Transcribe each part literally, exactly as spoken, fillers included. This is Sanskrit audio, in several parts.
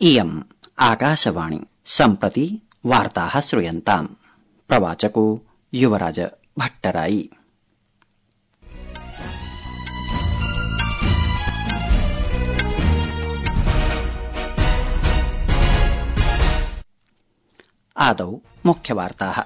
इयम् आकाशवाणी सम्प्रति वार्ताः श्रूयन्ताम्। प्रवाचको युवराज भट्टराई। आदौ मुख्यवार्ताः।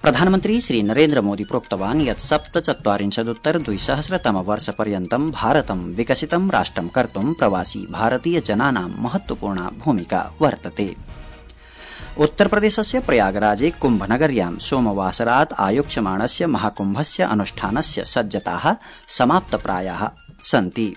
प्रधानमन्त्री श्री नरेन्द्र मोदी प्रोक्तवान् यत् सप्तचत्वारिंशदुत्तर द्विसहस्रतम वर्षपर्यन्तं भारतं विकसितं राष्ट्रं कर्तुं प्रवासी भारतीय जनानां महत्वपूर्णा भूमिका वर्तते। उत्तरप्रदेशस्य प्रयागराजे कुम्भनगर्यां सोमवासरात् आयोक्ष्यमाणस्य महाकुम्भस्य अनुष्ठानस्य सज्जताः समाप्तप्रायाः सन्ति।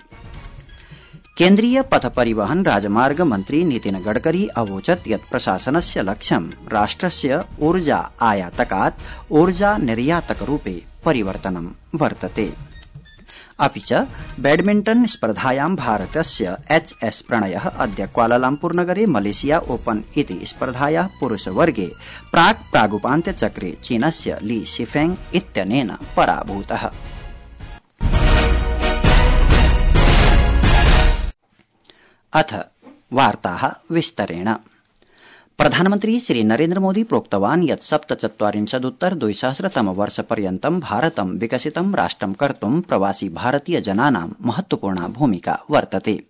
केन्द्रीय पथ परिवहन राजमार्ग मन्त्री नितिन गडकरी अवोचत् यत् प्रशासनस्य लक्ष्यं राष्ट्रस्य ऊर्जा आयातकात् ऊर्जा निर्यातकरूपे परिवर्तनं वर्तते। अपि च बैडमिण्टन स्पर्धायां भारतस्य एच एस प्रणयः अद्य क्वालालम्पुरनगरे मलेशिया ओपन इति स्पर्धायाः पुरुषवर्गे प्राक् प्रागुपान्त्यचक्रे चीनस्य ली शिफेंग इत्यनेन पराभूतः। अथ वार्ताः विस्तरेण। प्रधानमन्त्री श्री नरेन्द्र मोदी प्रोक्तवान् यत् सप्तचत्वारिंशदुत्तर द्विसहस्रतम वर्षपर्यन्तं भारतं विकसितं राष्ट्रं कर्तुं प्रवासी भारतीय जनानां महत्वपूर्णा भूमिका वर्तते।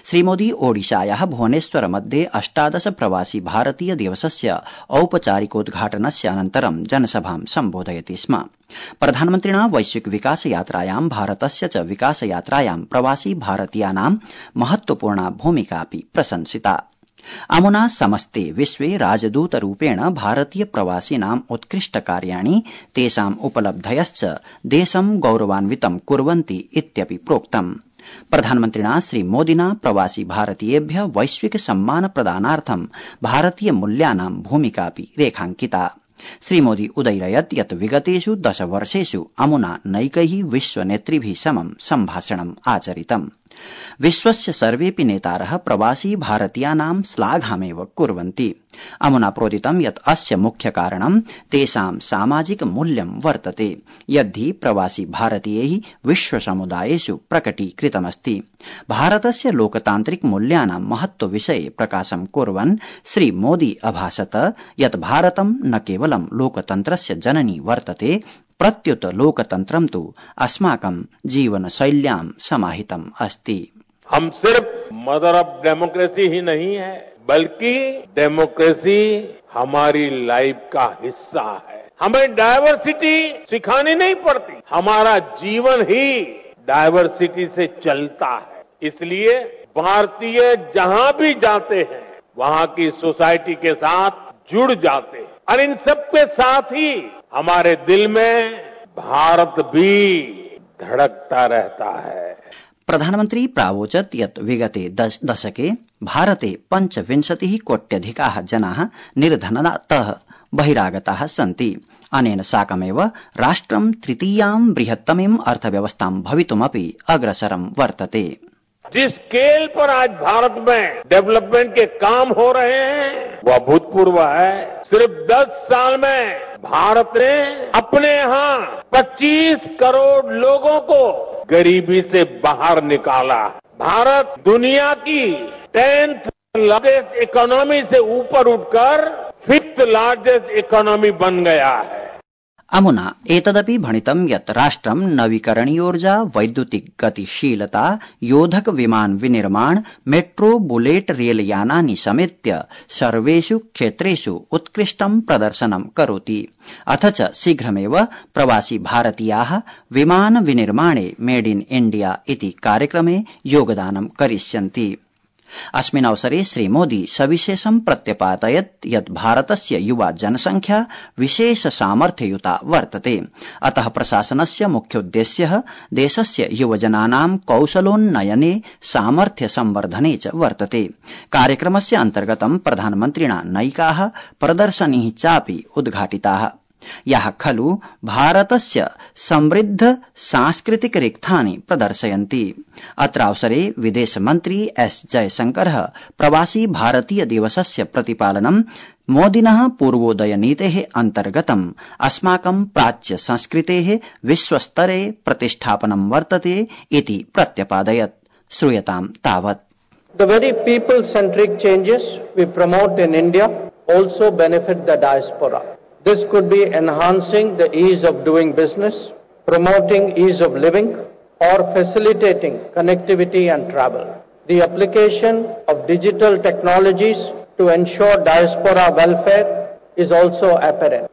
श्रीमोदी ओडिशायाः भुवनेश्वर मध्ये अष्टादश प्रवासी भारतीय दिवसस्य औपचारिकोद्घाटनस्य अनन्तरं जनसभां सम्बोधयति स्म। प्रधानमन्त्रिणा वैश्विक विकास यात्रायां भारतस्य च विकास यात्रायां प्रवासी भारतीयानां महत्वपूर्णा भूमिकापि प्रशंसिता। अमुना समस्ते विश्वे राजदूतरूपेण भारतीय प्रवासिनाम् उत्कृष्ट कार्याणि तेषाम् उपलब्धयश्च देशं गौरवान्वितं कुर्वन्ति इत्यपि प्रोक्तम्। प्रधानमन्त्रिणा श्रीमोदिना प्रवासी भारतीयेभ्य वैश्विक सम्मान प्रदानार्थं भारतीय मूल्यानां भूमिकापि रेखांकिता। श्रीमोदी उदयरयत् यत् विगतेषु दश वर्षेषु अमुना नैकैः विश्वनेतृभिः समं सम्भाषणम् आचरितम्। विश्वस्य सर्वेऽपि नेतारः प्रवासी भारतीयानां श्लाघामेव कुर्वन्ति। अमुना प्रोदितं यत् अस्य मुख्य कारणं तेषां सामाजिक मूल्यं वर्तते, यद्धि प्रवासी भारतीयैः विश्वसमुदायेषु प्रकटीकृतमस्ति। भारतस्य लोकतान्त्रिक मूल्यानां महत्वविषये प्रकाशं कुर्वन् श्रीमोदी अभाषत यत् भारतं न केवलं लोकतन्त्रस्य जननी वर्तते, प्रत्युत लोकतन्त्रं तु अस्माकं जीवनशैल्यां समाहितम् अस्ति। हम सिर्फ मदर ऑफ डेमोक्रेसी ही नहीं है, बल्कि डेमोक्रेसी हमारी लाइफ का हिस्सा है। हमें डायवर्सिटी सिखानी नहीं पड़ती, हमारा जीवन ही डायवर्सिटी से चलता है। इसलिए भारतीय जहां भी जाते हैं वहां की सोसाइटी के साथ जुड़ जाते हैं और इन सबके साथ ही हमारे दिल में भारत भी धड़कता रहता है। प्रधानमन्त्री प्रावोचत् यत् विगते दशके भारते पञ्चविंशतिः कोट्यधिकाः जनाः निर्धनतातः बहिरागताः सन्ति। अनेन साकमेव राष्ट्रं तृतीयां बृहत्तमीं अर्थव्यवस्थां भवितुमपि अग्रसरं वर्तते। जिस स्केल पर आज भारत में डेवलपमेंट के काम हो रहे हैं वह अभूतपूर्व है। सिर्फ दस साल में भारत ने अपने यहाँ पच्चीस करोड़ लोगों को गरीबी से बाहर निकाला। भारत दुनिया की टेंथ लार्जेस्ट इकोनॉमी से ऊपर उठकर फिफ्थ लार्जेस्ट इकोनॉमी बन गया है। अमुना एतदपि भणितं यत् राष्ट्रं नवीकरणीयोर्जा, वैद्युतिक गतिशीलता, योधक विमान विनिर्माण, मेट्रो बुलेट रेलयानानि समेत्य सर्वेषु क्षेत्रेषु उत्कृष्टं प्रदर्शनं करोति। अथ च शीघ्रमेव प्रवासी भारतीयाः विमान विनिर्माणे मेड इन इण्डिया इति कार्यक्रमे योगदानं करिष्यन्ति। अस्मिन् अवसरे श्रीमोदी सविशेषं प्रत्यपादयत् यत् भारतस्य युवा जनसंख्या विशेष सामर्थ्ययुता वर्तते। अतः प्रशासनस्य मुख्योद्देश्यः देशस्य युवजनानां कौशलोन्नयने सामर्थ्य संवर्धने च वर्तते। कार्यक्रमस्य अन्तर्गतं प्रधानमन्त्रिणा नैकाः प्रदर्शनीः चापि उद्घाटिताः, याः खलु भारतस्य समृद्ध सांस्कृतिक रिक्थानि प्रदर्शयन्ति। अत्रावसरे विदेशमन्त्री एस जयशंकरः प्रवासी भारतीय दिवसस्य प्रतिपालनं मोदिनः पूर्वोदय नीतेः अन्तर्गतम् अस्माकं प्राच्य संस्कृतेः विश्वस्तरे प्रतिष्ठापनं वर्तते इति प्रत्यपादयत्। श्रूयतां तावत्। The very people-centric changes we promote in India also benefit the diaspora. This could be enhancing the ease of doing business, promoting ease of living, or facilitating connectivity and travel. The application of digital technologies to ensure diaspora welfare is also apparent.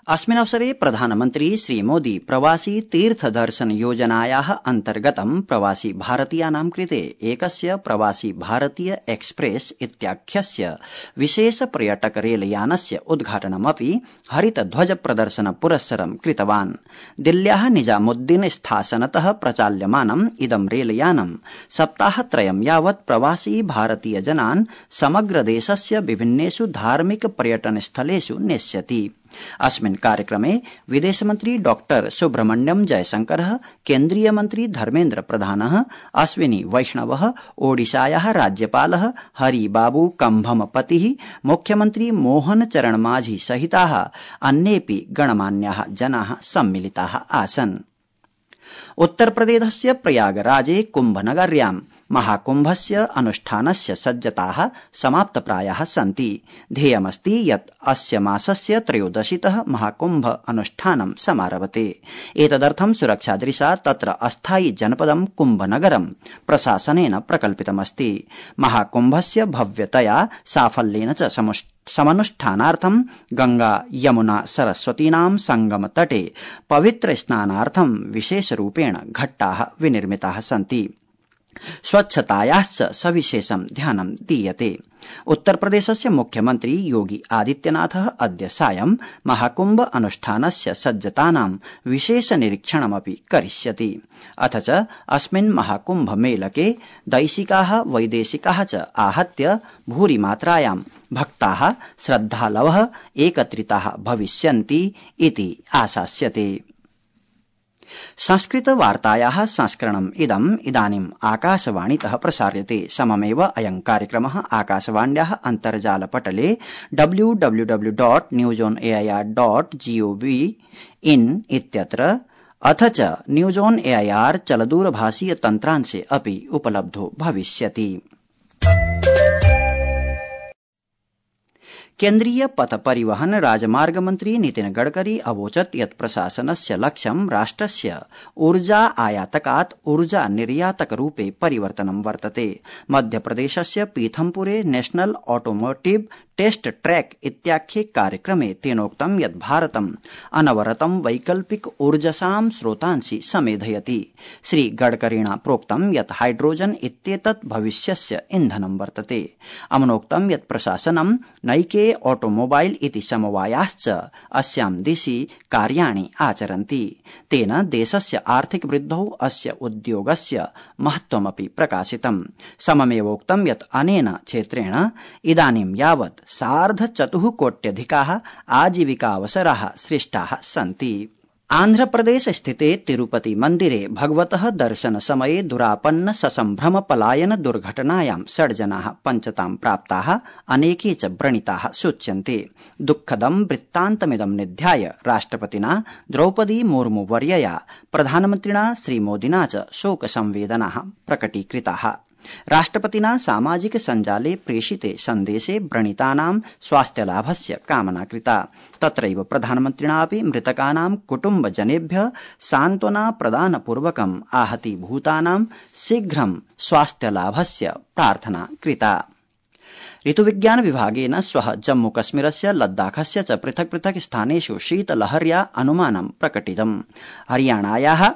अस्मिन् अवसरे प्रधानमन्त्री श्रीमोदी प्रवासी तीर्थ दर्शन योजनायाः अन्तर्गतं प्रवासी भारतीयानां कृते एकस्य प्रवासी भारतीय एक्सप्रेस इत्याख्यस्य विशेष पर्यटक रेलयानस्य उद्घाटनमपि हरित ध्वज प्रदर्शन पुरस्सरं कृतवान्। दिल्ल्याः निजामुद्दीन स्थासनतः प्रचाल्यमानम् इदं रेलयानं सप्ताहत्रयं यावत् प्रवासी भारतीय जनान् समग्र देशस्य विभिन्नेषु धार्मिक पर्यटन स्थलेषु नेष्यति। अस्मिन् कार्यक्रमे विदेशमन्त्री डॉक्टर सुब्रह्मण्यम जयशंकरः, केन्द्रीय मन्त्री धर्मेन्द्र प्रधानः, अश्विनी वैष्णवः, ओडिशायाः राज्यपालः हरिबाबू कम्भमपतिः, मुख्यमन्त्री मोहन चरण माझी सहिताः अन्येऽपि गणमान्याः जनाः सम्मिलिताः आसन्। उत्तरप्रदेशस्य प्रयागराजे कुम्भनगर्यां महाकुम्भस्य अनुष्ठानस्य सज्जताः समाप्तप्रायाः सन्ति। ध्येयमस्ति यत् अस्य मासस्य त्रयोदशीतः महाकुम्भ अनुष्ठानं समारभते। एतदर्थं सुरक्षादृशा तत्र अस्थायि जनपदं कुम्भनगरं प्रशासनेन प्रकल्पितमस्ति। महाकुम्भस्य भव्यतया साफल्येन च समनुष्ठानार्थं गंगा यमुना सरस्वतीनां संगम तटे पवित्र स्नानार्थं विशेषरूपेण घट्टाः विनिर्मिताः सन्ति। स्वच्छतायाश्च सविशेषं ध्यानं दीयते। उत्तरप्रदेशस्य मुख्यमन्त्री योगी आदित्यनाथः अद्य सायं महाकुम्भ अनुष्ठानस्य सज्जतानां विशेष निरीक्षणमपि करिष्यति। अथ च अस्मिन् महाकुम्भ मेलके दैशिकाः वैदेशिकाः च आहत्य भूरिमात्रायां भक्ताः श्रद्धालवः एकत्रिताः भविष्यन्ति इति आशास्यते। संस्कृत वार्तायाः संस्करणम् इदम् इदानीम् आकाशवाणीतः प्रसार्यते। सममेव अयं कार्यक्रमः आकाशवाण्याः अन्तर्जालपटले W W W dot news on A I R dot G O V in इत्यत्र अथ च न्यूज ऑन एआईआर चलदूरभाषीय तन्त्रांशे अपि उपलब्धो भविष्यति। केन्द्रीय पथ परिवहन राजमार्ग मन्त्री नितिन गडकरी अवोचत् यत् प्रशासनस्य लक्ष्यं राष्ट्रस्य ऊर्जा आयातकात् ऊर्जा निर्यातक रूपे परिवर्तनं वर्तते। मध्यप्रदेशस्य पीथमपुरे नेशनल ऑटोमोटिव टेस्ट ट्रैक इत्याख्ये कार्यक्रमे तेनोक्तं यत् भारतम् अनवरतं वैकल्पिक ऊर्जसां स्रोतांसि समेधयति। श्री गडकरिणा प्रोक्तं यत् हाइड्रोजन इत्येतत् भविष्यस्य इन्धनं वर्तते। अमुनोक्तं यत् प्रशासनं नैके ऑटोमोबाइल इति समवायाश्च अस्यां दिशि कार्याणि आचरन्ति। तेन देशस्य आर्थिक वृद्धौ अस्य उद्योगस्य महत्वमपि प्रकाशितम्। सममेवोक्तं यत् अनेन क्षेत्रेण इदानीं यावत् सार्ध चतुः कोट्यधिकाः आजीविकावसराः सृष्टाः सन्ति। आन्ध्रप्रदेश स्थिते तिरुपति मन्दिरे भगवतः दर्शन समये दुरापन्न ससम्भ्रम पलायन दुर्घटनायां षड् जनाः पञ्चतां प्राप्ताः, अनेके च व्रणिताः सूच्यन्ते। दुःखदं वृत्तान्तमिदं निध्याय राष्ट्रपतिना द्रौपदी मुर्मू वर्यया प्रधानमन्त्रिणा श्रीमोदिना च शोकसंवेदनाः प्रकटीकृताः। राष्ट्रपतिना सामाजिक सञ्जाले प्रेषिते सन्देशे व्रणितानां स्वास्थ्यलाभस्य कामना कृता। तत्रैव प्रधानमन्त्रिणापि मृतकानां कुटुम्बजनेभ्यः सान्त्वना प्रदानपूर्वकम् आहतीभूतानां शीघ्रं स्वास्थ्यलाभस्य प्रार्थना कृता। ऋतुविज्ञान विभागेन श्वः जम्मूकश्मीरस्य लद्दाखस्य च पृथक् पृथक् स्थानेषु शीतलहर्या अनुमानं प्रकटितम्। हरियाणायाः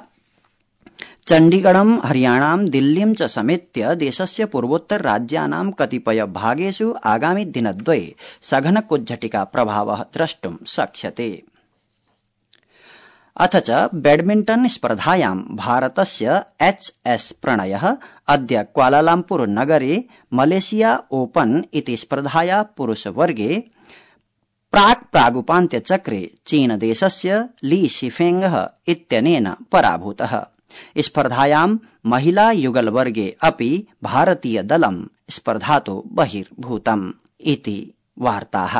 चण्डीगढं, हरियाणां, दिल्लीं च समेत्य देशस्य पूर्वोत्तर राज्यानां कतिपय भागेषु आगामि दिनद्वये सघन कुज्झटिका प्रभावः द्रष्टुं शक्यते। अथ च बैडमिण्टन स्पर्धायां भारतस्य एच एस प्रणयः अद्य क्वालालम्पुर नगरे मलेशिया ओपन इति स्पर्धाया पुरुषवर्गे प्राक् प्रागुपान्त्यचक्रे चीनदेशस्य ली शिफेंगः इत्यनेन पराभूतः। स्पर्धायां महिला युगल वर्गे अपि भारतीय दलं स्पर्धातो बहिर्भूतम् इति वार्ताः।